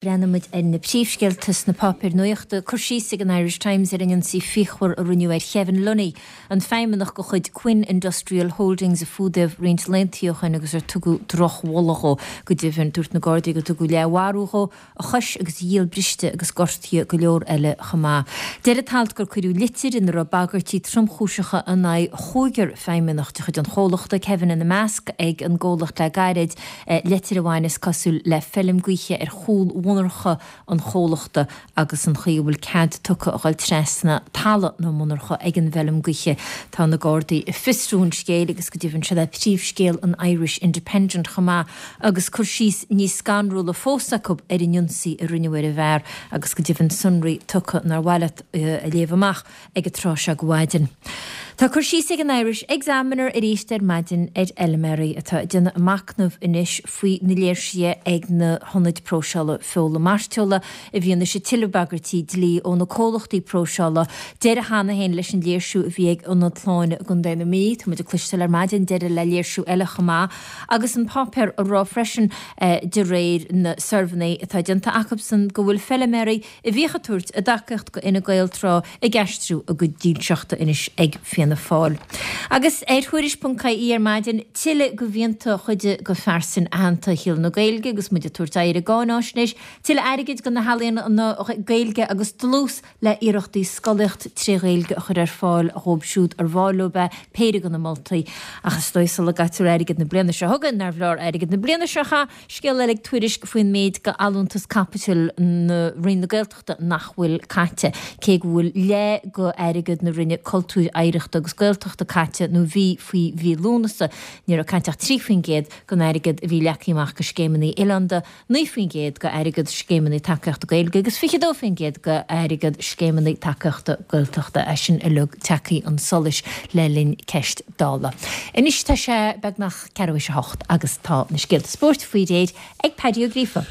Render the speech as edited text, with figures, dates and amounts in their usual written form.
Breathnaímid ar na príomhscéalta sna páipéir nuachta. Cur síos ag an Irish Times ar an ionsaí fíochmhar a rinneadh ar Kevin Lunny, an feidhmeannach de chuid Quinn Industrial Holdings a fuadaíodh roinnt laethanta ó shin agus ar tugadh drochbholadh dhó. Go deimhin, dúirt na Gardaí gur tugadh leathmharú dhó, a chois agus a ghiall briste agus gortaíodh go leor eile chomh maith. Deir an t-alt gur cuireadh litir ina raibh bagairtí tromchúiseacha in aghaidh chúigear feidhmeannach de chuid an chomhlachta, Kevin ina measc, ag an gcomhlacht le gairid. Litir a bhain, is cosúil, le feilm gaoithe ar chúl mhonarcha an chomhlachta agus an chaoi a bhfuil cead tugtha a dhul trasna talamh na monarcha ag an bhfeilm gaoithe. Tá na Gardaí ag fiosrú an scéil agus go deimhin siod é príomhscéal an Irish Independent chomh maith agus cur síos níos scanrúla fós acu ar an ionsaí a rinneadh ar an bhfear agus go deimhin sonraí tugtha nár mhaith leat a léamh amach ag an tráth seo de mhaidin. Tá cur síos ag an Irish Examiner arís ar maidin ar fheilméaraí atá ag déanamh a machnamh anois faoi na léirsithe ag na hionaid próiseála feola mairteola i bhfianaise tuilleadh bagairtí dlí ó na comhlachtaí próiseála. Deireadh cheana féin leis an léirsiú a bhí ag Ionad Shláine i gContae na Mí. Tá muid ag cloisteáil ar maidin deireadh le léirsiú eile chomh maith agus an páipéar ag rá freisin de réir na suirbhéanna atá déanta acusan go bhfuil feilméaraí a bhíodh ag tabhairt a dtacaíocht go Fhine Gael tráth ag aistriú a gcuid dílseachta anois ag Fianna Fáil. Agus ar Tuairisc.ie ar maidin, tuilleadh de mhianta chuid de phearsain aitheanta shaol na Gaeilge agus muid ag tabhairt aghaidh ar an gcáináisnéis, tuilleadh airgid do na healaíona Gaeilge agus dlús le hiarrachtaí scolaíocht tré Ghaeilge a chur ar fáil dhóibh siúd ar mhaith leo é, péire de na moltaí. Ach is dóigh sula gcaitear airgead na bliana seo chugainn nárbh leor airgead na bliana seo chaith. Scéal eile ag Tuairisc faoin méid de allúntas caipitil na Roinn na Gaeltachta nach bhfuil caite. Cé go bhfuil leath de airgead na Roinne Cultúir, Oidhreachta agus Gaeltachta caite, nó bhí faoi mhí Lúnasa, ní raibh caite ach 3% den airgead a bhí leagtha amach do scéimeanna oileánda, 9% de airgead scéimeanna tacaíochta Gaeilge agus 22% de airgead scéimeanna tacaíochta Gaeltachta. É sin uilig tagtha chun solais le linn Ceist Dála. Anois tá sé beagnach. 8:15 agus tá na scéalta spóirt faoi réir ag Paddy Ó Gríofa.